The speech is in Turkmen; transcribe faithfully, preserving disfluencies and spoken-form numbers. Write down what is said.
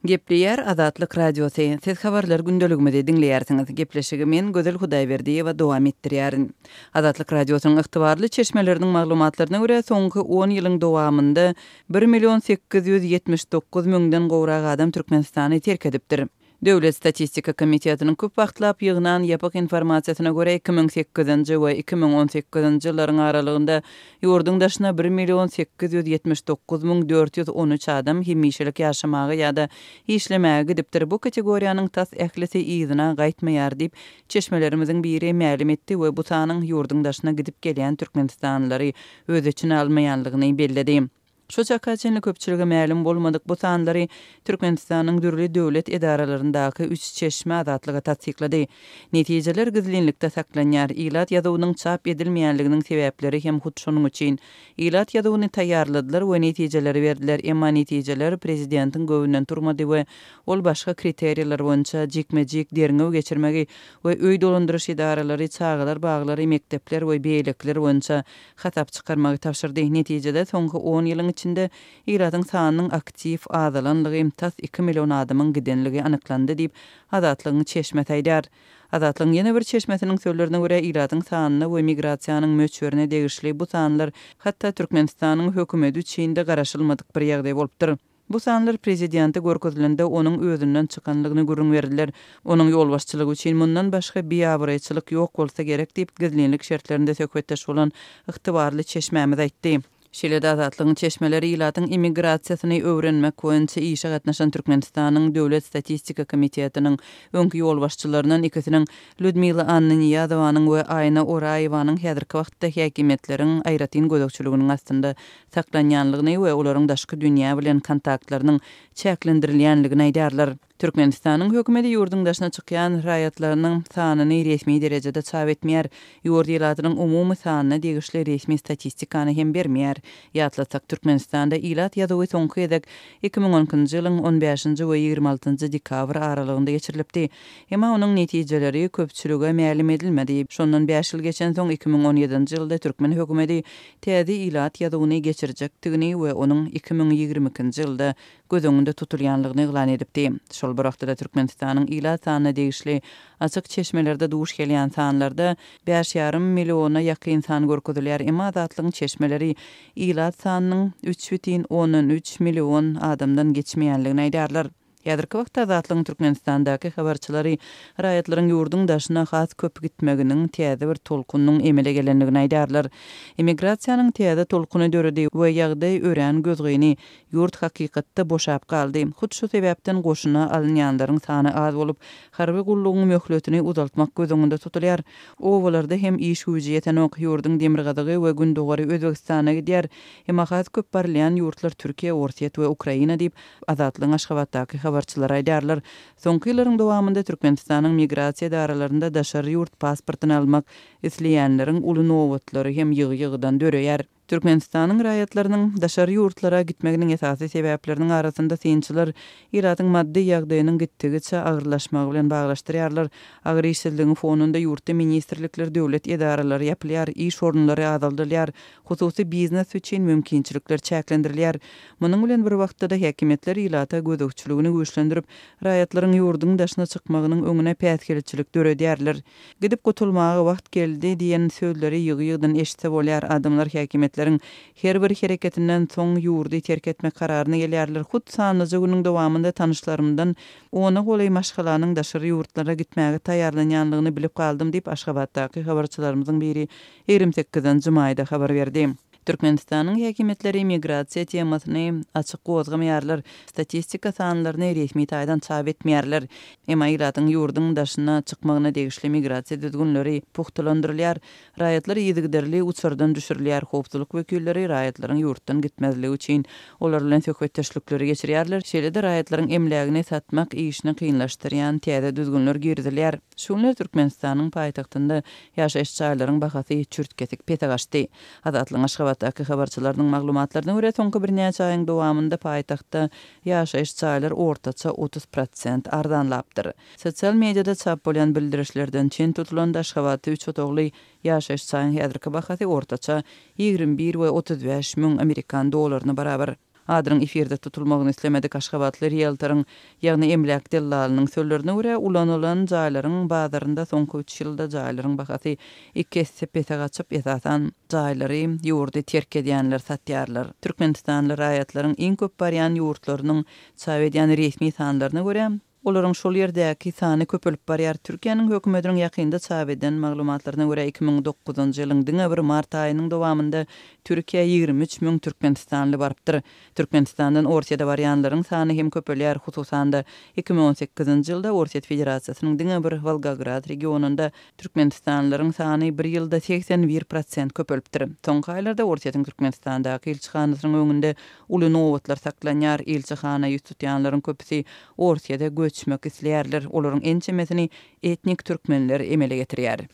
Gepleýär Azatlyk Radiosy. Siz habarlar gündeligimizi diňleýärsiňiz. Gepleşigi men Gözel Hudaýberdiýewa dowam etdirýärin. Azatlyk Radiosynyň ygtybarly çeşmeleriniň maglumatlaryna görä, soňky on ýylyň dowamynda bir million sekiz ýüz ýetmiş dokuz müňden gowrak adam Türkmenistany terk edipdir. Döwlet statistika komitetiniň köp wagtlap ýygnan ýapyk informasiýasyna görä, iki müň sekizinji we iki müň on sekizinji ýyllaryň aralygynda ýurduň daşyna bir million sekiz ýüz ýetmiş dokuz müň dört ýüz on üç adam hemişelik ýaşamaga ýa-da işlemäge gidipdir. Bu kategoriýanyň tas ählisi yzyna gaýtmaýar diýip, çeşmelerimiziň biri mälim etdi we bu sanyň ýurduň daşyna gidip gelýän türkmenistanlylary öz içine almaýanlygyny belledi. Şu çaka çenli köpçülige mälim bolmadyk bu sanlary Türkmenistanyň dürli döwlet edaralaryndaky üç çeşme Azatlyga tassyklady. Netijeler gizlinlikde saklanýar. Ilat ýazuwynyň çap edilmeýänliginiň sebäpleri hem hut şonuň üçin. Ilat ýazuwyny taýýarladylar we netijeleri berdiler, emma netijeler prezidentiň göwnünden turmady we ol başga kriteriýalar boýunça jikme-jik derňew geçirmegi we öý dolandyryş edaralary, çagalar baglary, mekdepler we beýlekiler boýunça hasap çykarmagy tabşyrdy. Netijede soňky on ýylyň içinde ilatyň sanynyň aktiw azalanlygy, tas iki million adamyň gidenligi anyklandy diýip, Azatlygyň çeşmesi aýdýar. Azatlygyň ýene bir çeşmesiniň sözlerine görä, ilatyň sanyna we migrasiýanyň möçberine degişli bu sanlar hatda Türkmenistanyň hökümeti üçin-de garaşylmadyk bir ýagdaý bolupdyr. Bu sanlar prezidente görkezilende onuň özünden çykanlygyny gürrüň berdiler. Onuň ýolbaşçylygy üçin mundan başga biabraýçylyk ýok bolsa gerek diýip, gizlinlik şertlerinde söhbetdeş bolan ygtybarly çeşmämiz aýtdy. Şeýle-de Azatlygyň çeşmeleri ilatyň immigrasiýasyny öwrenmek boýunça işe gatnaşan Türkmenistanyň Döwlet statistika komitetiniň öňki ýolbaşçylaryndan ikisiniň Lýudmila Annanyýazowanyň we Aýna Oraýewanyň häzirki wagtda häkimiýetleriň aýratyn gözegçiliginiň astynda saklanýanlygyny we olaryň daşky dünýä bilen kontaktlarynyň çäklendirilýänligini aýdýarlar. Türkmenistanyň hökümeti ýurduň daşyna çykýan raýatlarynyň sanyny resmi derejede çap etmeýär. Ýurt ilatynyň umumy sanyna degişli resmi statistikany hem bermeýär. Ýatlatsak, Türkmenistanda ilat ýazuwy soňky gezek iki müň on ikinji ýylyň on bäşinji we ýigrimi altynjy dekabr aralygynda geçirilipdi. Emma onuň netijeleri köpçülige mälim edilmedi. Şondan bäş ýyl geçensoň iki müň on ýedinji ýylda türkmen hökümeti täze ilat ýazuwyny geçirjekdigini we onuň iki müň ýigrimi ikinji ýylda göz öňünde tutulýanlygyny yglan edipdi. Şol bir wagtda Türkmenistanyň ilat sanyna degişli açyk çeşmelerde duş gelýän sanlarda bäş ýarym milliona ýakyn san görkezilýär. Emma Azatlygyň çeşmeleri ilat sanynyň üç bütin ondan üç million adamdan geçmeýänligini aýdýarlar. Häzirki wagtda Azatlygyň Türkmenistandaky habarçylary raýatlaryň ýurduň daşyna has köp gitmeginiň täze bir tolkunyň emele gelenligini aýdýarlar. Emigrasiýanyň täze tolkuny döredi we ýagdaý örän gözgyny, ýurt hakykatda boşap galdy. Hut şu sebäpden goşuna alynýanlaryň sany az bolup, harby gullugyň möhletini uzaltmak göz öňünde tutulýar. Obalarda hem iş güýji ýetenok, ýurduň demirgazygy we gündogary Özbegistana gidýär. Emma has köp barylýan ýurtlar Türkiýe, Orsýet we Ukraina diýip, Azatlygyň Aşgabatdaky habarçylary aýdýarlar. Soňky ýyllaryň dowamynda Türkmenistanyň migrasiýa edaralarynda daşary ýurt pasportyny almak isleýänleriň uly nobatlary hem ýygy-ýygydan döreýär. Türkmenistanyň raýatlarynyň daşary ýurtlara gitmeginiň esasy sebäpleriniň arasynda synçylar ilatyň maddy ýagdaýynyň gitdigiçe agyrlaşmagy bilen baglaşdyrýarlar. Agyr işsizligiň fonunda ýurtda ministrlikler, döwlet edaralary ýapylýar, iş orunlary azaldylýar, hususy biznes üçin mümkinçilikler çäklendirilýär. Munuň bilen bir wagtda-da häkimiýetler ilata gözegçiligini güýçlendirip, raýatlaryň ýurduň daşyna çykmagynyň öňüne päsgelçilik döredýärler. Gidip gutulmaga wagt geldi diýen sözleri ýygy-ýygydan eşitse bolýar. Adamlar häkimiýetleriň her bir hereketinden soň ýurdy terk etmek kararyna gelýärler. Hut sanlyja günüň dowamynda tanyşlarymdan ona golaý maşgalanyň daşary ýurtlara gitmäge taýýarlanýanlygyny bilip galdym diýip, Aşgabatdaky habarçylarymyzyň biri ýigrimi sekizinji maýda habar berdi. Türkmenistanyň häkimiýetleri migrasiýa temasyny açyk gozgamaýarlar, statistika sanlaryny resmi taýdan çap etmeýärler. Emma ilatyň ýurduň daşyna çykmagyna degişli migrasiýa düzgünleri pugtalandyrylýar. Raýatlar yzygiderli uçardan düşürilýär. Howpsuzlyk wekilleri raýatlaryň ýurtdan gitmezligi üçin olar bilen söhbetdeşlikleri geçirýärler. Şeýle-de raýatlaryň emlägini satmak işini kynlaşdyrýan täze düzgünler girizilýär. Şu günler Türkmenistanyň paýtagtynda ýaşaýyş jaýlaryň bahasy çürt-kesik pese gaçdy. Azatlygyň Aşgabatdaky habarçylarynyň maglumatlaryna görä, soňky birnäçe aýyň dowamynda paýtagtda ýaşaýyş jaýlar ortaça otuz prosent arzanlapdyr. Sosial mediada çap bolýan bildirişlerden çen tutulanda Aşgabatda üç otagly ýaşaýyş jaýyň häzirki bahasy ortaça ýigrimi bir we otuz bäş müň amerikan dolaryna barabar. Adynyň efirde tutulmagyny islemedik aşgabatly rieltoryň, ýagny emläk dellalynyň sözlerine görä, ulanylan jaýlaryň bazarynda soňky üç ýylda jaýlaryň bahasy iki esse pese gaçyp, esasan, jaýlary ýurdy terk edýänler satýarlar. Türkmenistanly raýatlaryň iň köp barýan ýurtlarynyň çap edýän resmi sanlaryna görä, olaryň şol ýerdäki sany köpelip barýar. Türkiýäniň hökümetiniň ýakynda çap eden maglumatlaryna görä, iki müň dokuzynjy ýylyň diňe bir mart aýynyň dowamynda Türkiýä ýigrimi üç müň türkmenistanly barypdyr. Türkmenistandan Orsýete barýanlaryň sany hem köpelýär. Hususan-da, iki müň on sekizinji ýylda Orsýet Federasiýasynyň diňe bir Wolgograd regionynda türkmenistanlylaryň sany bir ýylda segsen bir prosent köpelipdir. Soňky aýlarda Orsýetiň Türkmenistandaky ilçihanasynyň öňünde uly nobatlar saklanýar. Ilçihana ýüz tutýanlaryň köpüsi Orsýete göçmek isleýärler. Olaryň ençemesini etnik türkmenler emele getirýär.